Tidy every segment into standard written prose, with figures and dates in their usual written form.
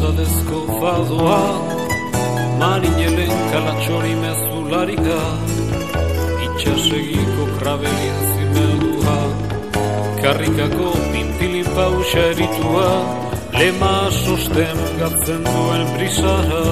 pasadezko fadoa, marinelen kalatxori mezularika, itxasegiko krabelin zimeldua, karrikako pintilin pausa eritua, lema sosten gatzen duen brisara.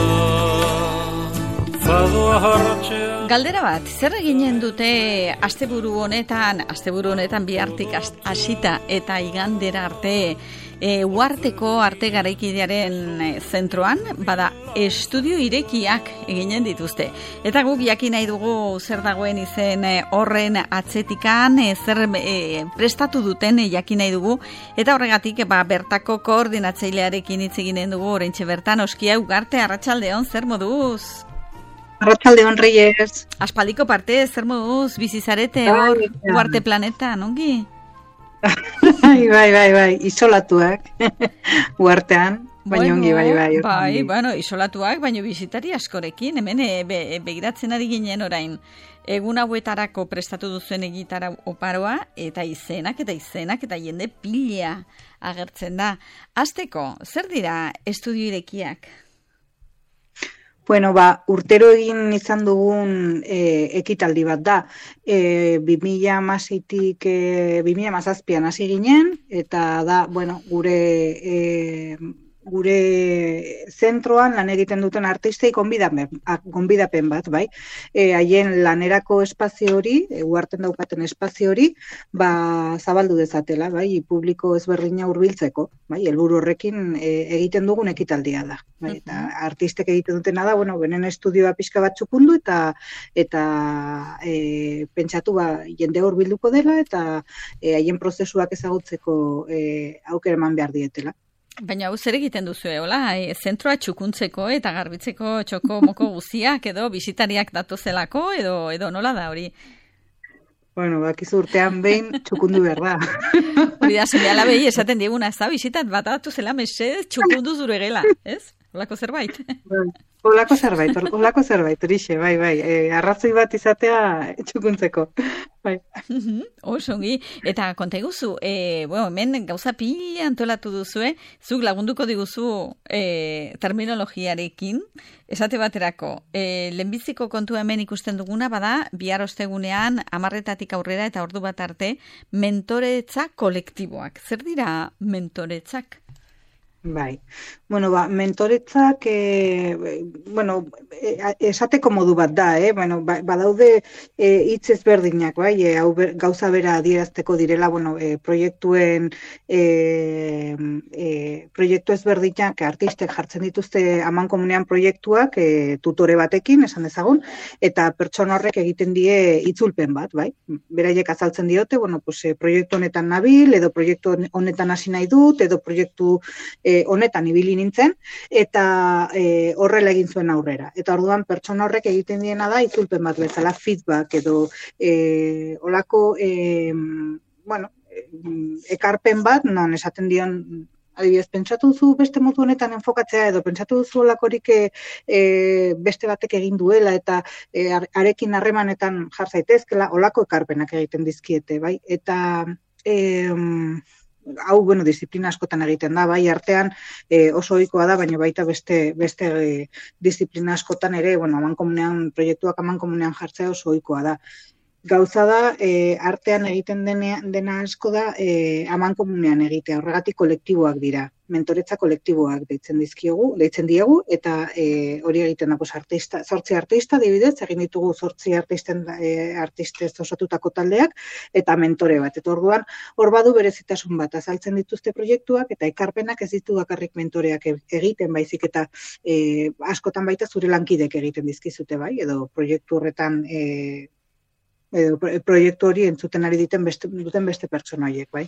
Fadoa harratxea. Galdera bat, zer eginen dute asteburu honetan bihartik hasita eta igandera arte Uharteko arte garaikidearen zentroan, bada estudio irekiak eginen dituzte. Eta guk jakin nahi dugu zer dagoen izen horren atzetikan, zer prestatu duten jakin nahi dugu. Eta horregatik bertako koordinatzailearekin hitz eginen dugu oraintxe bertan. Oskia Ugarte, arratsaldeon, zer moduz? Arratsaldeon, Reyes. Aspaldiko parte, zer moduz? Bizizarete hor Ugarte planetan, ongi? Bai, isolatuak, uartean, baina ongi, bai. Bai, bueno, isolatuak, baina bizitari askorekin, hemen begiratzen ari ginen orain, egun hauetarako prestatu duzuen egitara oparoa, eta izenak eta jende pila agertzen da. Hasteko, zer dira estudio irekiak? Bueno, urtero egin izan dugun ekitaldi bat da. 2016-tik 2017an hasi ginen, eta da, bueno, gure zentroan lan egiten duten artistei gonbidapen bat, bai. Haien lanerako espazio hori, uharten daukaten espazio hori, zabaldu dezatela, bai, publiko ezberdina hurbiltzeko, bai, helburu horrekin egiten dugun ekitaldia da. Bai, eta artistek egiten dutena da, bueno, benen estudioa pixka bat txukundu eta pentsatu jende hurbilduko dela eta haien prozesuak ezagutzeko aukera eman behar dietela. Baina hau zer egiten duzu, hola, zentroa txukuntzeko eta garbitzeko txoko moko guziak edo bisitariak datozelako edo nola da hori? Bueno, bakizu urtean behin txukundu behar da. Hori da, zure alabei esaten diguna, ez da, bisitat bat datuzela mesez txukundu zure gela, ez? Holako zerbait? Holako zerbait, horixe, bai. Arrazoi bat izatea txukuntzeko, bai. Osongi, eta konta iguzu, hemen gauza pila antolatu duzue, zuk lagunduko diguzu terminologiarekin, esate baterako, lehenbiziko kontua hemen ikusten duguna, bada, bihar ostegunean, 10:00 aurrera eta ordu bat arte, mentoretza kolektiboak. Zer dira mentoretzak? Bai, bueno, mentoretzak, esateko modu bat da, badaude hitz ezberdinak, bai, gauza bera adierazteko direla, proiektu ezberdinak artistek jartzen dituzte amankomunean proiektuak, tutore batekin, esan dezagun, eta pertsona horrek egiten die itzulpen bat, bai, beraiek azaltzen diote, proiektu honetan nabil, edo proiektu honetan hasi nahi dut, edo proiektu honetan ibili nintzen, eta horrela egin zuen aurrera. Eta orduan pertsona horrek egiten diena da itzulpen bat bezala, feedback edo olako ekarpen bat, non esaten dion, adibidez, pentsatu duzu beste modu honetan enfokatzea edo pentsatu duzu olakorik beste batek egin duela eta arekin harremanetan jar zaitezkela, olako ekarpenak egiten dizkiete, bai? Eta hau, disiplina askotan egiten da, bai, artean oso ohikoa da, baina baita beste disiplina askotan ere, proiektuak amankomunean jartzea oso ohikoa da. Gauza da, artean egiten dena asko da, amankomunean egitea, horregatik kolektiboak dira, mentoretza kolektiboak deitzen diegu, eta hori egiten da, 8 artista, dibidez, egin ditugu 8 artistez osatutako taldeak, eta mentore bat. Eta orduan, hor badu berezitasun bat, azaltzen dituzte proiektuak, eta ekarpenak ez ditu bakarrik mentoreak egiten, baizik eta askotan baita zure lankidek egiten dizkizute, bai, edo proiektu horretan proiektu hori entzuten ari duten beste pertsona horiek, bai.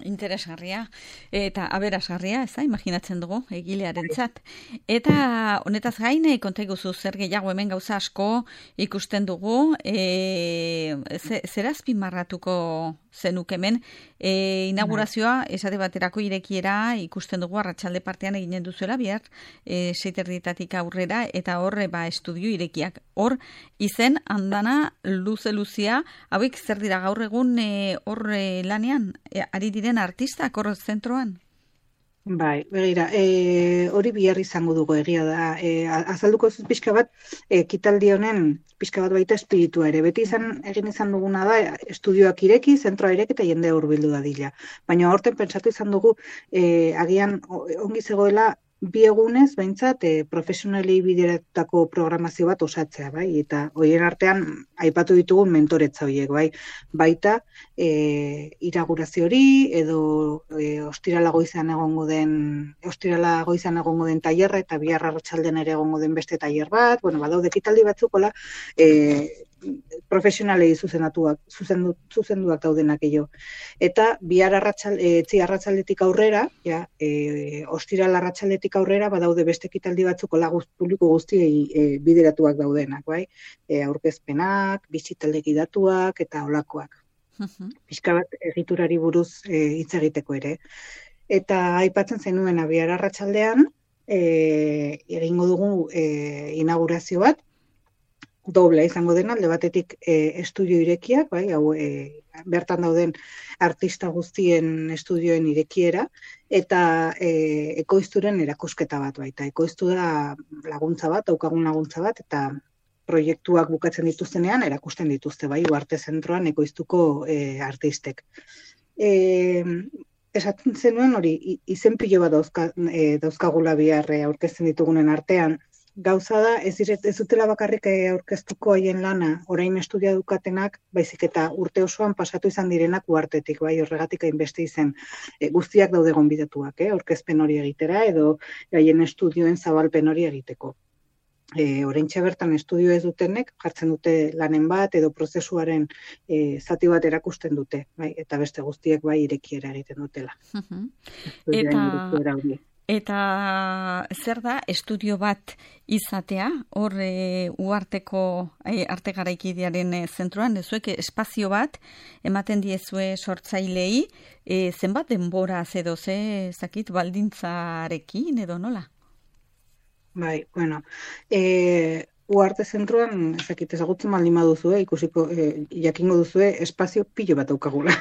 Interesgarria eta aberasgarria, ez da, imaginatzen dugu egilearentzat. Eta honetaz gain, konta iguzu zer gehiago hemen gauza asko ikusten dugu, zer azpimarratuko zenuk hemen, inaugurazioa esate baterako irekiera ikusten dugu arratsalde partean eginen duzuela bihar 6:30 aurrera, eta hor estudio irekiak. Hor izen andana luzia, hauek zer dira gaur egun hor lanean ari diren artistak hor zentroan? Bai, begira, hori bihar izango dugu egia da. Azalduko zuz pixka bat, ekitaldi honen pixka bat baita espiritua ere. Beti egin izan duguna da, estudioak ireki, zentroa ireki eta jende hurbildu dadila. Baina horten pentsatu izan dugu, agian ongi zegoela, bi egunez, behintzat, profesionalei bideratutako programazio bat osatzea, bai? Eta horien artean, aipatu ditugun mentoretza horiek, bai? Baita, inaugurazio hori edo ostirala goizean egongo den tailerra eta bihar arratsaldean ere egongo den beste tailer bat, bueno, badaude ekitaldi batzuk hola profesionalei zuzenduak daudenak gehiago. Eta bihar arratsaldetik aurrera, ostirala arratsaldetik aurrera badaude beste ekitaldi batzuk hola publiko guztiei bideratuak daudenak, bai? Aurkezpenak, bisitaldeki datuak eta holakoak. Pixka bat egiturari buruz hitz egiteko ere. Eta aipatzen zenuen bihar arratsaldean egingo dugu inaugurazio bat, dobla izango dena, alde batetik estudio irekiak, bai, hau bertan dauden artista guztien estudioen irekiera, eta ekoizturen erakusketa bat baita. Ekoiztu da laguntza bat, daukagun laguntza bat, eta proiektuak bukatzen dituztenean, erakusten dituzte, bai, Uarte Zentroan ekoiztuko artistek. Esaten zenuen hori, izen pilo bat dauzkagula bihar aurkezten ditugunen artean. Gauza da, ez dutela bakarrik aurkeztuko haien lana, orain estudia dukatenak, baizik eta urte osoan pasatu izan direnak uartetik, bai, horregatik hainbeste izen guztiak daude gonbidatuak, aurkezpen hori egitera, edo haien estudioen zabalpen hori egiteko. Oraintxe bertan estudio ez dutenek, jartzen dute lanen bat, edo prozesuaren zati bat erakusten dute, bai, eta beste guztiek bai irekiera egiten dutela. Eta zer da estudio bat izatea, hor Uarteko arte garaikidearen zentroan, zuek espazio bat ematen diezue sortzailei, zenbat denbora edo zakit baldintzarekin edo nola? Bai, bueno, Uarte Zentroan, ezagutzen baldin baduzu, ikusiko, jakingo duzue, espazio pilo bat daukagula.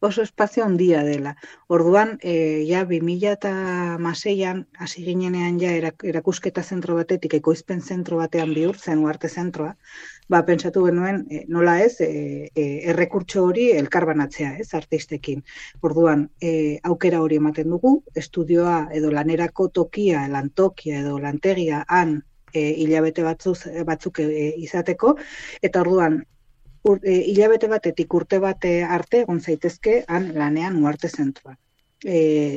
Oso espazio handia dela. Orduan, 2006an, hasi ginenean erakusketa zentro batetik, ekoizpen zentro batean bihurtzen Uarte Zentroa, pentsatu genuen, nola ez, errekurtso hori elkarbanatzea, ez, artistekin. Orduan, aukera hori ematen dugu, estudioa edo lanerako tokia, lantokia edo lantegia han hilabete batzuk izateko, eta orduan, hilabete batetik urte bate arte egon zaitezke han lanean Uarte Zentroan.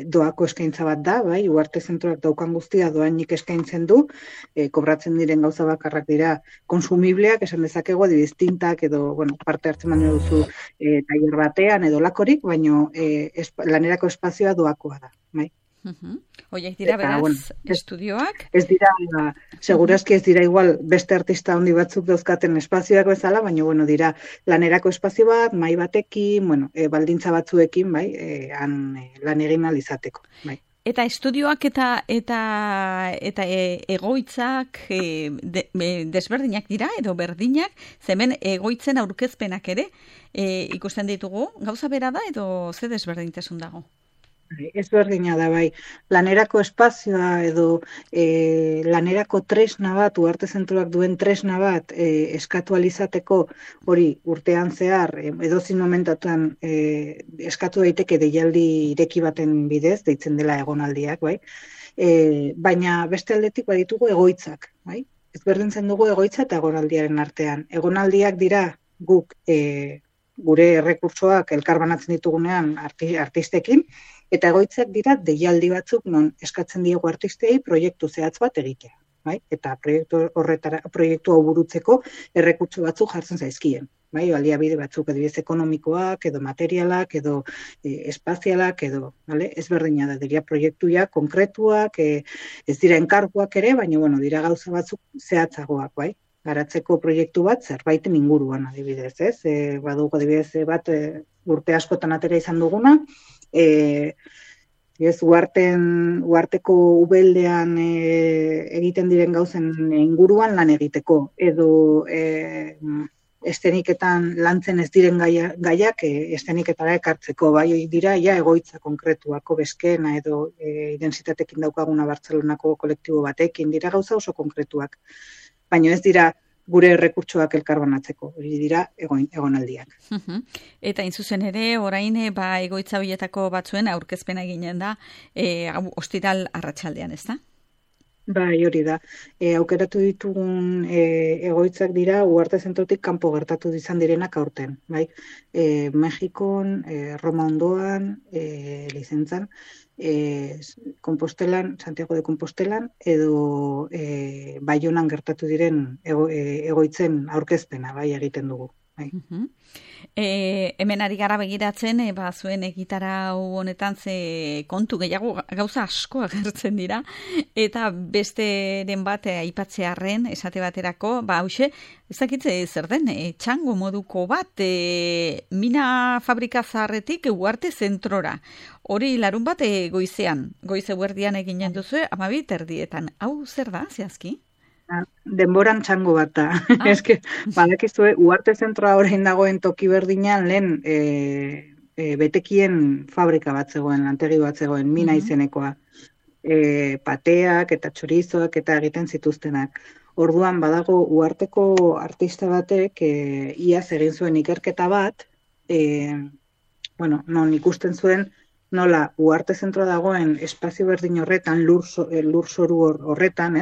Doako eskaintza bat da, bai, Uarte Zentroak daukan guztia doainik eskaintzen du, kobratzen diren gauza bakarrak dira konsumibleak, esan dezakegu, distintak edo, bueno, parte hartzen baino duzu tailer batean edo lakorik, baino lanerako espazioa doakoa da, bai. Oiek dira beraz, estudioak? Ez dira, segurazki ez dira igual beste artista handi batzuk dauzkaten espazioak bezala, baina bueno, dira lanerako espazio bat, mahai batekin, bueno, baldintza batzuekin, bai, lan egin ahal izateko, bai. Eta estudioak eta egoitzak desberdinak dira edo berdinak, zemen egoitzen aurkezpenak ere ikusten ditugu, gauza bera da edo ze desberdintasun dago? Ez berdina da, bai. Lanerako espazioa edo lanerako tresna bat, Uarte Zentroak duen tresna bat eskatu alizateko hori urtean zehar, edozin momentatuan eskatu daiteke deialdi ireki baten bidez, deitzen dela egonaldiak, bai. Baina beste aldetik baditugu egoitzak, bai. Ez berdintzen dugu egoitza eta egonaldiaren artean. Egonaldiak dira guk gure errekurtsoak elkarbanatzen ditugunean artistekin, eta egoitzak dira deialdi batzuk non eskatzen diegu artistei proiektu zehatz bat egitea, bai? Eta proiektu hau burutzeko errekurtso batzuk jartzen zaizkien, bai? Baliabide batzuk adibidez ekonomikoak edo materialak edo espazialak edo, bale? Ez berdina da, dira proiektuak konkretuak, ez dira enkarguak ere, baina bueno, dira gauza batzuk zehatzagoak, bai? Garatzeko proiektu bat zerbaiten inguruan adibidez, ez? Badugu adibidez bat urte askotan atera izan duguna, Uarteko ubeldean egiten diren gauzen inguruan lan egiteko, edo esteniketan lantzen ez diren gaiak esteniketara ekartzeko, bai dira egoitza konkretuako beskena edo identitatekin daukaguna Bartzelonako kolektibo batekin, dira gauza oso konkretuak, baina ez dira gure errekurtsoak elkarbanatzeko, hori dira egonaldiak. Eta zuzen ere, orain egoitza horietako batzuen aurkezpena eginen da, ostiral arratsaldean, ez da? Bai, hori da. Aukeratu ditugun egoitzak dira Uharte Zentrotik kanpo gertatu izan direnak aurten, bai? Mexikon, Roma ondoan, Lizentzan, Kompostelan, Santiago de Kompostelan, edo Baionan gertatu diren egoitzen aurkezpena, bai, egiten dugu. Bai. Hemen ari gara begiratzen, zuen egitara honetan ze kontu gehiago gauza asko agertzen dira, eta besteren bat aipatzearren esate baterako, hauxe, ez dakitze zer den, txango moduko bat, mina fabrika zaharretik Uharte Zentrora. Hori larun bat goizean, goize guerdian eginen duzu, 12:00, hau zer da, zehazki? Denboran txango bat da. Eske, badakizue, Uharte Zentroa orain dagoen toki berdinean lehen betekien fabrika bat zegoen, lantegi bat zegoen, mina izenekoa. Pateak eta txorizoak eta egiten zituztenak. Orduan badago Uharteko artista batek iaz egin zuen ikerketa bat, non ikusten zuen nola Uharte Zentroa dagoen espazio berdin horretan, lur zoru horretan,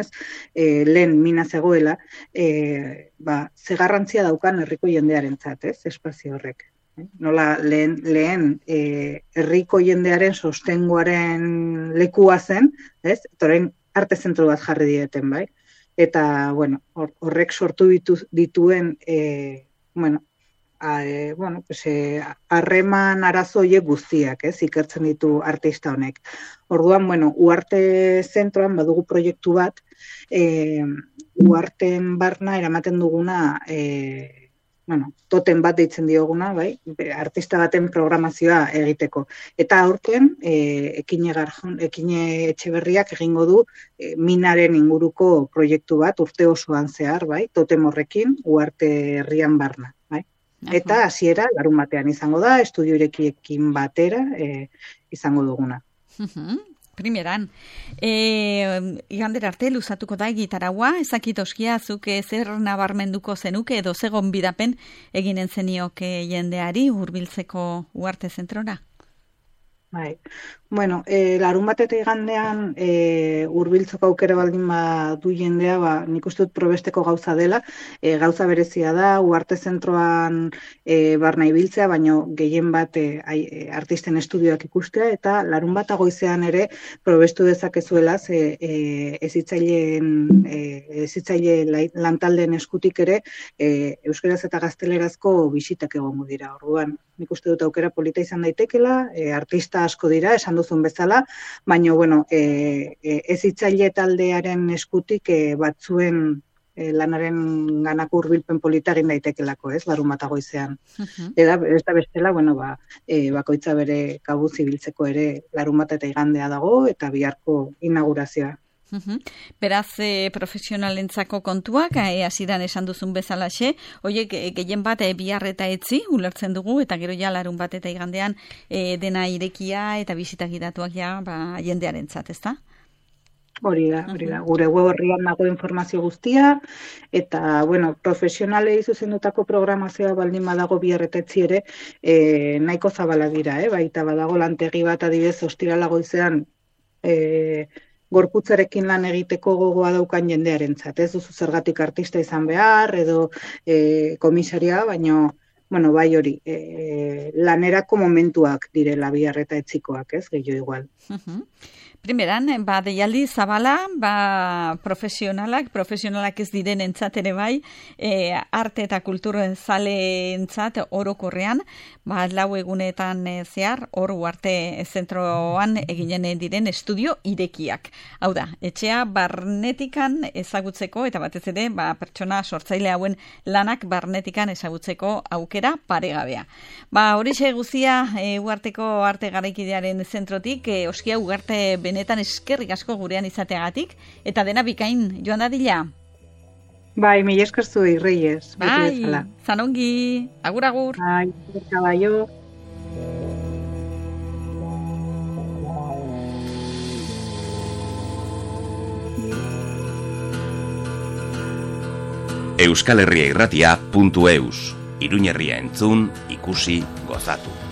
lehen mina zegoela, ze garrantzia daukan herriko jendearentzat, espazio horrek. Nola lehen herriko jendearen sostengoaren lekua zen, eta orain arte zentro bat jarri dieten, bai? Eta, horrek sortu dituen, harreman arazo horiek guztiak, ikertzen ditu artista honek. Orduan, Uharte Zentroan badugu proiektu bat, Uharten barna eramaten duguna, toten bat deitzen dioguna, bai, artista baten programazioa egiteko. Eta aurten, Ekine Etxeberriak egingo du minaren inguruko proiektu bat urte osoan zehar, bai, totem horrekin Uharte herrian barna. Eta hasiera larun batean izango da, estudio irekiekin batera izango duguna. Primeran, igandera arte luzatuko da egitaraua, ezakit oskia zuk zer nabarmenduko zenuke edo ze gonbidapen eginen zenioke jendeari hurbiltzeko Uharte Zentrora? Bai. Larun bat eta igandean hurbiltzeko aukera baldin badu jendea, nik uste dut probesteko gauza dela, gauza berezia da, Uharte Zentroan barna ibiltzea, baino gehien bat artisten estudioak ikustea, eta larun bat goizean ere probestu dezakezuela, ezitzaile lantaldeen eskutik ere euskaraz eta gaztelerazko bisitak egongo dira. Orduan, nik uste dut aukera polita izan daitekela, artista asko dira, esan duzun bezala, baina, ezitzaile taldearen eskutik batzuen lanaren ganako hurbilpen polita egin daitekelako, larun bat goizean. Eta ez da bestela, bakoitza bere kabuz ibiltzeko ere larun bat eta igandea dago, eta biharko inaugurazioa. Beraz, profesionalentzako kontuak, hasieran esan duzun bezalaxe, horiek gehien bat bihar eta etzi ulertzen dugu, eta gero ja larun bat eta igandean dena irekia eta bisitak gidatuak jendearentzat, ezta? Hori da. Gure web horrian dago informazio guztia, eta, profesionalei zuzendutako programazioa baldin badago bihar eta etzi ere, nahiko zabala dira, baita badago lantegi bat adibidez ostirala goizean, gorputzarekin lan egiteko gogoa daukan jendearentzat. Ez duzu zergatik artista izan behar, edo komisaria, baino, bai hori, lanerako momentuak direla bihar eta etzikoak, gehiago igual. Primeran, deialdi zabala, profesionalak ez diren entzat ere bai, arte eta kultur zale entzat orokorrean, 4 egunetan zehar, hor Uharte Zentroan eginen diren estudio irekiak. Hau da, etxea barnetikan ezagutzeko, eta batez ere, pertsona sortzaile hauen lanak barnetikan ezagutzeko aukera paregabea. Horixe guztia Uharteko arte garaikidearen zentrotik, oskia Ugarte benetan eskerrik asko gurean izateagatik, eta dena bikain joan dadila. Bai, mila esker zuei, Reyes. Bai, zanongi, agur. Bai, kabaio. EuskalHerriairratia.eus. Iruñerria entzun, ikusi, gozatu.